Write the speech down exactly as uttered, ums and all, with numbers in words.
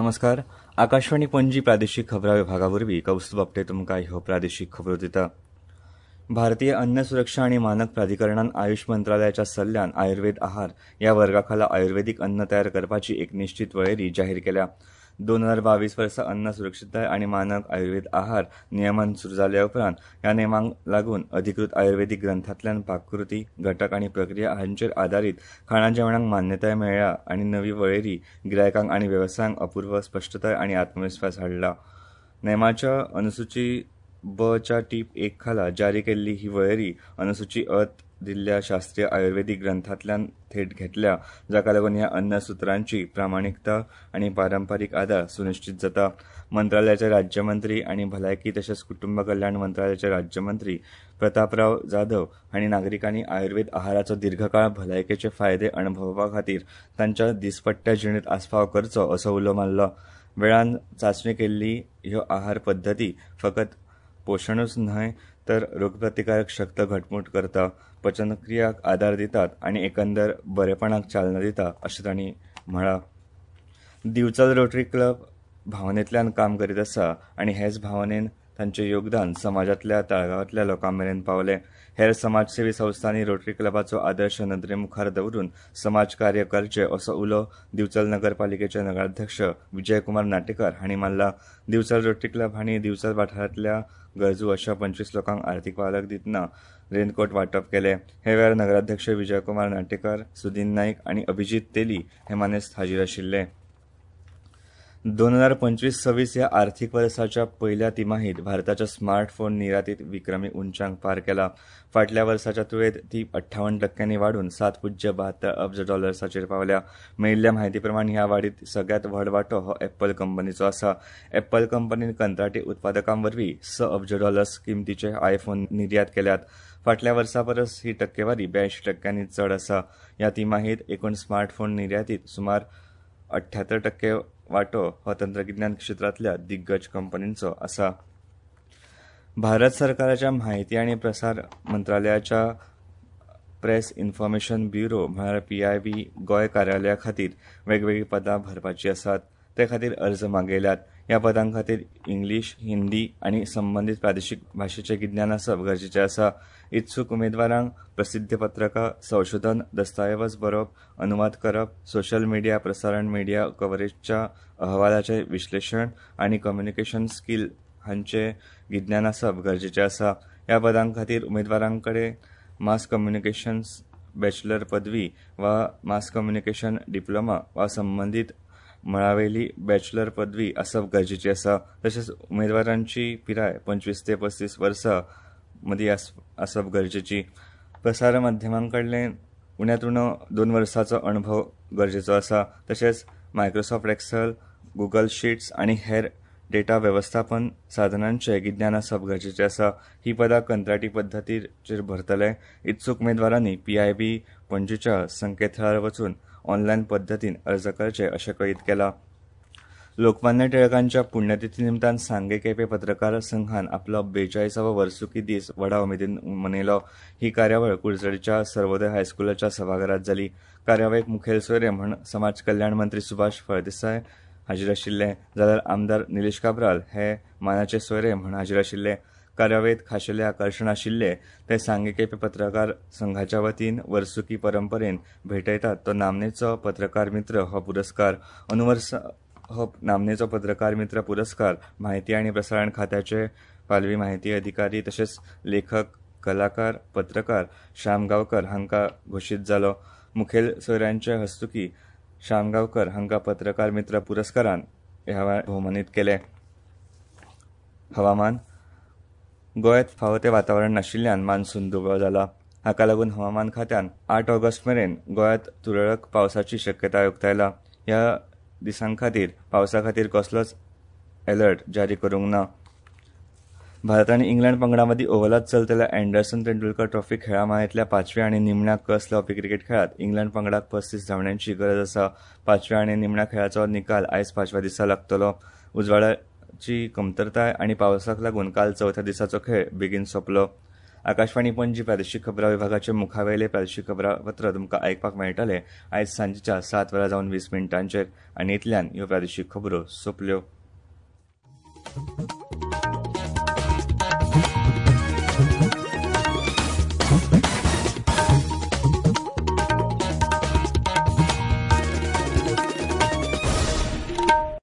नमस्कार, आकाशवाणी पणजी प्रादेशीक खबरां विभागा वरवीं कौस्तुभ आपटे तुमकां ह्यो प्रादेशीक खबरो दिता. भारतीय अन्न सुरक्षा आनी मानक प्राधिकरणान आयुष मंत्रालयाच्या सल्ल्यान आयुर्वेद आहार ह्या वर्गाखाला आयुर्वेदीक अन्न तयार करपाची एक निश्चित वळेरी जाहीर केल्या. दोन हजार बावीस वर्सा अन्न सुरक्षितताय आनी मानक आयुर्वेद आहार नियमन सुरू जाल्या उपरांत ह्या नेमांक लागून अधिकृत आयुर्वेदीक ग्रंथांतल्यान पाककृती, घटक आनी प्रक्रिया हांचेर आदारीत खाणा जेवणांक मान्यताय मेळ्ळ्या आनी नवी वळेरी गिरायकांक आनी वेवसायांक अपूर्व स्पश्टताय आनी आत्मविस्वास हाडला. नेमाच्या अनुसुची ब च्या टीप एक खाला जारी केल्ली ही वळेरी अनुसुची अ दिल्ल्या शास्त्रीय आयुर्वेदीक ग्रंथांतल्यान थेट घेतल्या, जाका लागून ह्या अन्न सुत्रांची प्रामाणिकता आनी पारंपारीक आदार सुनिश्चित जाता. मंत्रालयाचे राज्यमंत्री आनी भलायकी तशेंच कुटुंब कल्याण मंत्रालयाचे राज्यमंत्री प्रतापराव जाधव हांणी नागरिकांनी आयुर्वेद आहाराचो दीर्घकाळ भलायकेचे फायदे अणभवपा खातीर तांच्या दिसपट्ट्या जिणेंत आस्पाव करचो असो उलो मारलो. वेळान चांचणी केल्ली ह्यो आहार पद्दती फकत पोशणूच न्हय तर रोगप्रतिकारक शक्त घटमूट करता, पचनक्रियाक आदार दितात आनी एकंदर बरेपणाक चालना दिता अशें तांणी म्हळां. दिवचल रोटरी क्लब भावनेंतल्यान काम करीत आसा आनी हेच भावनेन तांचें योगदान समाजांतल्या तळागाळांतल्या लोकां मेरेन पावलें. हेर समाजसेवी संस्थांनी रोटरी क्लबाचो आदर्श नदरे मुखार दवरून समाज कार्य करचें असो उलो दिवचल नगरपालिकेचे नगराध्यक्ष विजयकुमार नाटेकार हांणी मारला. दिवचल रोटरी क्लब हांणी दिवचल वाठारांतल्या गरजू अशा पंचवीस लोकांक आर्थीक पालक दितना रेनकोट वांटप केलें. हे वेळार नगराध्यक्ष विजयकुमार नाटेकार, सुदीन नायक आनी अभिजीत तेली हे मानेस्त हाजीर आशिल्ले. दोन हजार पंचवीस सव्वीस ह्या आर्थीक वर्साच्या पयल्या तिमाहीत भारताच्या स्मार्टफोन निर्यातीत विक्रमी उंचांक पार केला. फाटल्या वर्साच्या तुळेंत ती अठ्ठावन्न टक्क्यांनी वाडून सात पुज्य बहात्तर अब्ज डॉलर्साचेर पावल्या. मेळिल्ल्या म्हायती प्रमाण ह्या वाडीत सगळ्यांत व्हड वांटो हो एप्पल कंपनीचो आसा. एप्पल कंपनीन कंत्राटी उत्पादकां वरवीं स अब्ज डॉलर्स किमतीचे आयफोन निर्यात केल्यात. फाटल्या वर्सा परस ही टक्केवारी ब्यायंशी टक्क्यांनी चड आसा. ह्या तिमाहीत एकूण स्मार्टफोन निर्यातीत सुमार अठ्यात्तर टक्के वांटो हो तंत्रगिन्यान क्षेत्रांतल्या दिग्गज कंपनींचो आसा. भारत सरकाराच्या म्हायती आनी प्रसार मंत्रालयाच्या प्रेस इन्फॉर्मेशन ब्युरो म्हळ्यार पी I बी गोंय कार्यालया खातीर वेगवेगळीं पदां भरपाचीं आसात. ते खातीर अर्ज मागयल्यात. ह्या पदां खातीर इंग्लीश, हिंदी आनी संबंदीत प्रादेशीक भाशेचें गिन्यान आसप गरजेचें आसा. इत्सूक उमेदवारांक प्रसिद्ध पत्रकां, संशोधन, दस्तावेज बरोवप, अनुवाद करप, सोशल मिडिया प्रसारण, मिडिया कव्हरेजच्या अहवालाचें विश्लेशण आनी कम्युनिकेशन स्कील हांचें गिन्यान आसप गरजेचें आसा. ह्या पदां खातीर उमेदवारां कडेन मास कम्युनिकेशन्स बॅचलर पदवी वा मास कम्युनिकेशन डिप्लोमा वा संबंदीत मळावेली बॅचलर पदवी आसप गरजेची आसा. तशेंच उमेदवारांची पिराय पंचवीस ते पस्तीस वर्सां मदीं आसप गरजेची. प्रसार माध्यमां कडल्यान उण्यांत उणो दोन वर्सांचो अणभव गरजेचो आसा. तशेंच मायक्रोसॉफ्ट एक्सेल, गुगल शीट्स आनी हेर डेटा वेवस्थापन साधनांचें गिन्यान आसप गरजेचें आसा. ही पदां कंत्राटी पद्दतीचेर भरतले. इत्सूक उमेदवारांनी पी I बी पणजीच्या संकेतथळार वचून ऑनलायन पद्दतीन अर्ज करचे अशें कळीत केलां. लोकमान्य टिळकांच्या पुण्यतिथी निमतान सांगे केपें पत्रकार संघान आपलो बेचाळीसावो वर्सुकी दीस व्हडा उमेदीन मनयलो. ही कार्यावळ कुडचडीच्या सर्वोदय हायस्कुलाच्या सभाघरांत जाली. कार्यावळीक मुखेल सोयरे म्हूण समाज कल्याण मंत्री सुभाष फळदेसाय हाजीर आशिल्ले, जाल्यार आमदार निलेश काब्राल हे मानाचे सोयरे म्हूण हाजीर आशिल्ले. कार्यावळींत खाशेलें आकर्शण आशिल्ले ते सांगे केपें पत्रकार संघाच्या वतीन वर्सुकी परंपरेन भेटयतात तो नामनेचो पत्रकार मित्र हो पुरस्कार. अनुवर्स हो नामनेचो पत्रकार मित्र पुरस्कार म्हायती आनी प्रसारण खात्याचे पालवी म्हायती अधिकारी तशेंच लेखक, कलाकार, पत्रकार श्याम गांवकर हांकां घोशीत जालो. मुखेल सोयऱ्यांचे हस्तुकी श्याम गांवकर हांकां पत्रकार मित्र पुरस्कारान ह्या वेळार भोवमानीत केले. हवामान. गोंयांत फावो तें वातावरण नाशिल्ल्यान मान्सून दुबळो जाला. हाका लागून हवामान खात्यान आठ ऑगस्ट मेरेन गोंयांत तुरळक पावसाची शक्यताय उक्तायला. ह्या दिसां खातीर पावसा खातीर कसलोच अलर्ट जारी करूंक ना. भारत आनी इंग्लंड पंगडां मदीं ओव्हलांत चलतल्या अँडरसन तेंडुलकर ट्रॉफी खेळा माळेंतल्या पांचव्या आनी निमण्या कस लावपी क्रिकेट खेळांत इंग्लंड पंगडाक पस्तीस धांवड्यांची गरज आसा. पांचव्या आनी निमण्या खेळाचो निकाल आयज पांचव्या दिसा लागतलो. उजवाडाची कमतरताय आनी पावसाक लागून काल चवथ्या दिसाचो खेळ बेगीन सोंपलो. आकाशवाणी पणजी प्रादेशीक खबरां विभागाचे मुखावेले प्रादेशीक खबरापत्र तुमकां आयकपाक मेळटलें आयज सांजेच्या सात वरां जावन वीस मिनटांचेर. आनी इतल्यान ह्यो प्रादेशीक खबरो सोंपल्यो.